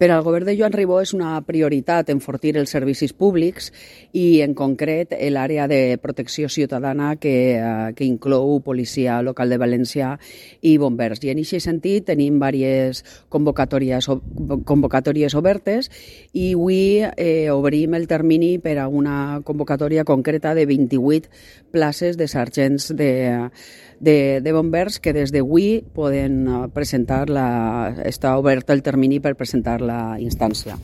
Per al govern de Joan Ribó és una prioritat enfortir els servicis públics i, en concret, l'àrea de protecció ciutadana que inclou Policia Local de València i Bombers. I en aquest sentit tenim diverses convocatòries obertes i avui obrim el termini per a una convocatòria concreta de 28 places de sergents de bombers que des d'avui poden presentar està obert el termini per presentar la instància.